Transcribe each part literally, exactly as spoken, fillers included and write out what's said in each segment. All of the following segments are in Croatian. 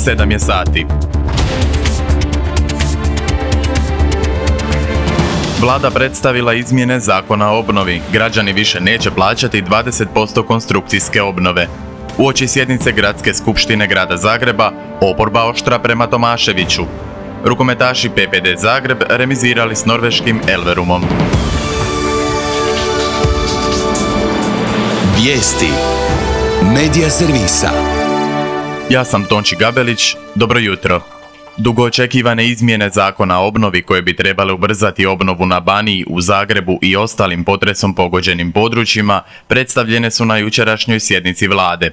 sedam je sati. Vlada predstavila izmjene Zakona o obnovi. Građani više neće plaćati dvadeset posto konstrukcijske obnove. Uoči sjednice Gradske skupštine Grada Zagreba, oporba oštra prema Tomaševiću. Rukometaši P P D Zagreb remizirali s norveškim Elverumom. Vijesti Medija servisa. Ja sam Tonči Gabelić, dobro jutro. Dugo očekivane izmjene Zakona o obnovi koje bi trebale ubrzati obnovu na Baniji, u Zagrebu i ostalim potresom pogođenim područjima predstavljene su na jučerašnjoj sjednici Vlade.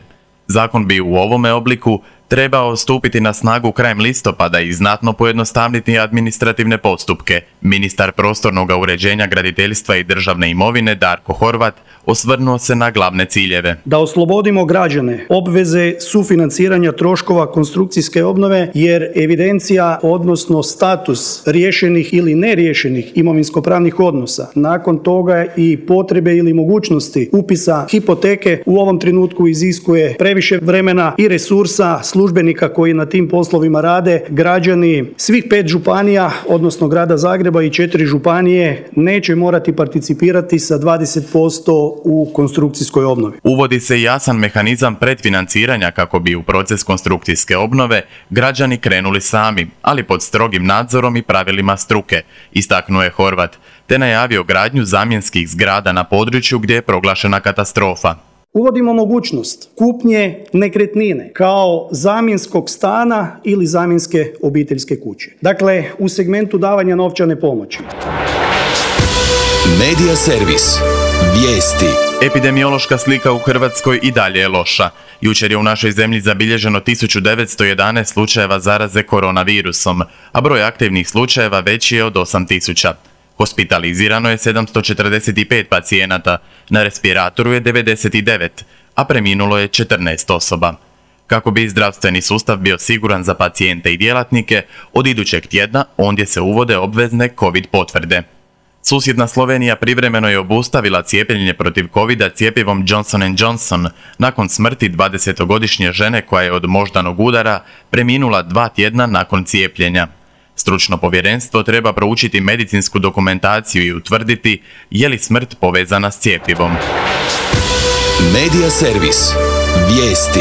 Zakon bi u ovome obliku trebao stupiti na snagu krajem listopada i znatno pojednostavniti administrativne postupke. Ministar prostornog uređenja, graditeljstva i državne imovine Darko Horvat osvrnuo se na glavne ciljeve. Da oslobodimo građane obveze sufinanciranja troškova konstrukcijske obnove, jer evidencija, odnosno status riješenih ili neriješenih imovinsko-pravnih odnosa, nakon toga i potrebe ili mogućnosti upisa hipoteke u ovom trenutku iziskuje previše vremena i resursa službenika koji na tim poslovima rade. Građani svih pet županija, odnosno Grada Zagreba i četiri županije, neće morati participirati sa dvadeset posto u konstrukcijskoj obnovi. Uvodi se jasan mehanizam predfinanciranja kako bi u proces konstrukcijske obnove građani krenuli sami, ali pod strogim nadzorom i pravilima struke, istaknuo je Horvat, te najavio gradnju zamjenskih zgrada na području gdje je proglašena katastrofa. Uvodimo mogućnost kupnje nekretnine kao zamjenskog stana ili zamjenske obiteljske kuće. Dakle, u segmentu davanja novčane pomoći. Medija servis. Vijesti. Epidemiološka slika u Hrvatskoj i dalje je loša. Jučer je u našoj zemlji zabilježeno tisuću devetsto jedanaest slučajeva zaraze koronavirusom, a broj aktivnih slučajeva veći je od osam tisuća. Hospitalizirano je sedamsto četrdeset pet pacijenata, na respiratoru je devedeset devet, a preminulo je četrnaest osoba. Kako bi zdravstveni sustav bio siguran za pacijente i djelatnike, od idućeg tjedna ondje se uvode obvezne COVID potvrde. Susjedna Slovenija privremeno je obustavila cijepljenje protiv covida cjepivom Johnson and Johnson nakon smrti dvadesetogodišnje žene koja je od moždanog udara preminula dva tjedna nakon cijepljenja. Stručno povjerenstvo treba proučiti medicinsku dokumentaciju i utvrditi je li smrt povezana s cjepivom. Medija servis. Vijesti.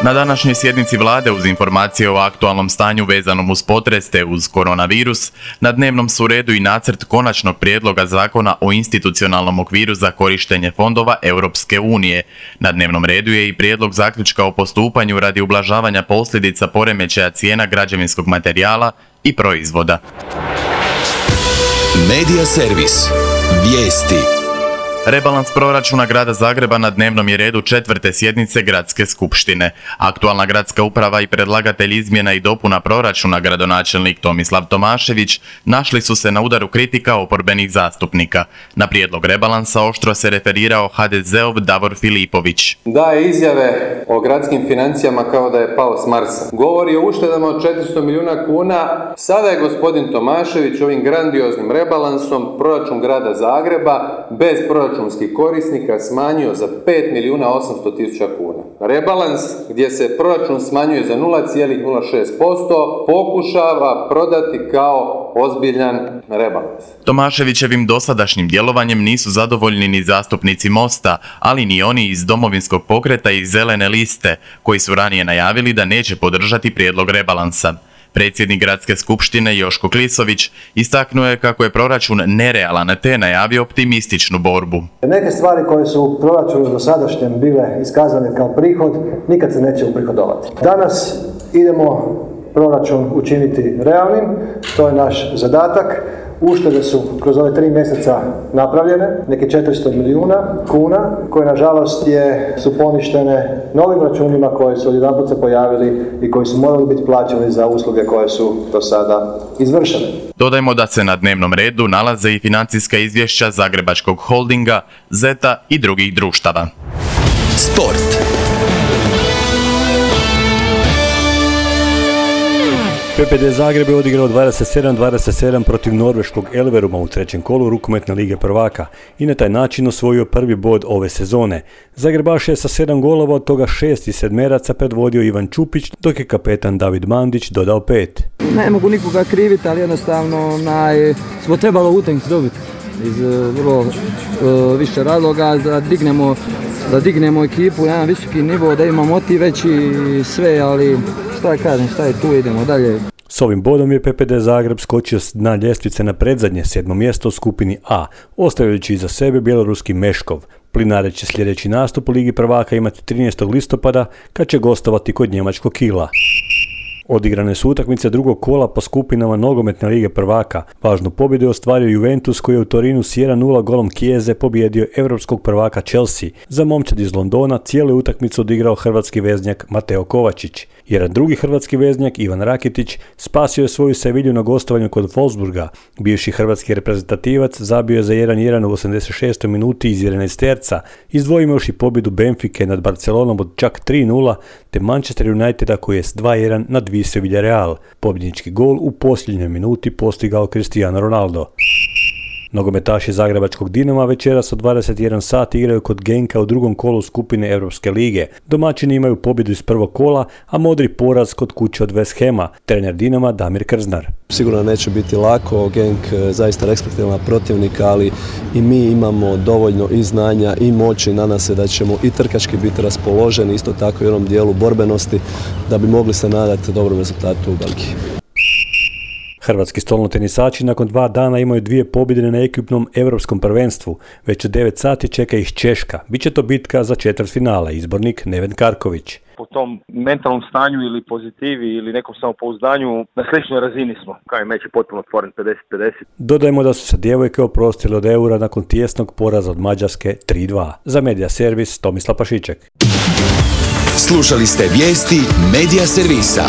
Na današnjoj sjednici Vlade uz informacije o aktualnom stanju vezanom uz potres te uz koronavirus, na dnevnom su redu i nacrt konačnog prijedloga zakona o institucionalnom okviru za korištenje fondova Europske unije. Na dnevnom redu je i prijedlog zaključka o postupanju radi ublažavanja posljedica poremećaja cijena građevinskog materijala i proizvoda. Medija servis. Vijesti. Rebalans proračuna Grada Zagreba na dnevnom je redu četvrte sjednice Gradske skupštine. Aktualna gradska uprava i predlagatelj izmjena i dopuna proračuna, gradonačelnik Tomislav Tomašević, našli su se na udaru kritika oporbenih zastupnika. Na prijedlog rebalansa oštro se referirao ha de zeov Davor Filipović. Daje izjave o gradskim financijama kao da je pao s Marsa. Govori o uštedama od četiristo milijuna kuna. Sada je gospodin Tomašević ovim grandioznim rebalansom proračun Grada Zagreba bez proračuna korisnika smanjio za pet milijuna osamsto tisuća kuna. Rebalans gdje se proračun smanjuje za nula zarez nula šest posto pokušava prodati kao ozbiljan rebalans. Tomaševićevim dosadašnjim djelovanjem nisu zadovoljni ni zastupnici Mosta, ali ni oni iz Domovinskog pokreta i Zelene liste, koji su ranije najavili da neće podržati prijedlog rebalansa. Predsjednik Gradske skupštine Joško Klisović istaknuo je kako je proračun nerealan te najavio optimističnu borbu. Neke stvari koje su u proračunu dosadašnjem bile iskazane kao prihod nikad se neće uprihodovati. Danas idemo proračun učiniti realnim, to je naš zadatak. Uštede su kroz ove tri mjeseca napravljene, neke četiristo milijuna kuna, koje nažalost je, su poništene novim računima koji su odjedanput se pojavili i koji su morali biti plaćeni za usluge koje su do sada izvršene. Dodajmo da se na dnevnom redu nalaze i financijska izvješća Zagrebačkog holdinga, Zeta i drugih društava. Sport. P P D Zagreb je odigrao dvadeset sedam dvadeset sedam protiv norveškog Elveruma u trećem kolu rukometne lige prvaka i na taj način osvojio prvi bod ove sezone. Zagrebaš je sa sedam golova, od toga šest iz sedmeraca predvodio Ivan Čupić, dok je kapetan David Mandić dodao pet. Ne mogu nikoga kriviti, ali jednostavno naj, smo trebalo utakmicu dobiti iz vrlo uh, više razloga da dignemo, da dignemo ekipu na jedan visoki nivo, da ima motiv veći i sve, ali šta kažem, šta je tu, idemo dalje. S ovim bodom je P P D Zagreb skočio s dna ljestvice na predzadnje sedmo mjesto u skupini A, ostavljajući iza sebe bjeloruski Meškov. Plinare će sljedeći nastup u Ligi prvaka imati trinaestog listopada kad će gostovati kod njemačkog Kila. Odigrane su utakmice drugog kola po skupinama nogometne lige prvaka. Važnu pobjedu je ostvario Juventus koji je u Torinu s jedan nula golom Chiese pobjedio europskog prvaka Chelsea. Za momčad iz Londona cijelu utakmicu odigrao hrvatski veznjak Mateo Kovačić. Jedan drugi hrvatski veznjak Ivan Rakitić spasio je svoju Sevilju na gostovanju kod Wolfsburga. Bivši hrvatski reprezentativac zabio je za jedan jedan u osamdeset šestoj minuti iz jedanaesterca, izdvojimo još i pobjedu Benfike nad Barcelonom od čak tri nula, te Manchester Uniteda koji je s dva jedan nadvisio Villarreal. Pobjednički gol u posljednjoj minuti postigao Cristiano Ronaldo. Nogometaši zagrebačkog Dinama večeras od dvadeset jedan sati igraju kod Genka u drugom kolu skupine Europske lige. Domaćini imaju pobjedu iz prvog kola, a modri poraz kod kuće od West Hama. Trener Dinama Damir Krznar. Sigurno neće biti lako, Genk zaista respektivan protivnik, ali i mi imamo dovoljno i znanja i moći, nadam se da ćemo i trkački biti raspoloženi, isto tako i u onom dijelu borbenosti, da bi mogli se nadati dobrom rezultatu u Belgiji. Hrvatski stolnotenisači nakon dva dana imaju dvije pobjede na ekipnom europskom prvenstvu. Već u devet sati čeka ih Češka. Biće to bitka za četvrtfinale, izbornik Neven Karković. Po tom mentalnom stanju ili pozitivi ili nekom samopouzdanju na sličnoj razini smo. Kao i meč je potpuno otvoren pedeset pedeset. Dodajmo da su se djevojke oprostile od eura nakon tijesnog poraza od Mađarske tri dva. Za Media Servis Tomislav Pašiček. Slušali ste vijesti Media Servisa.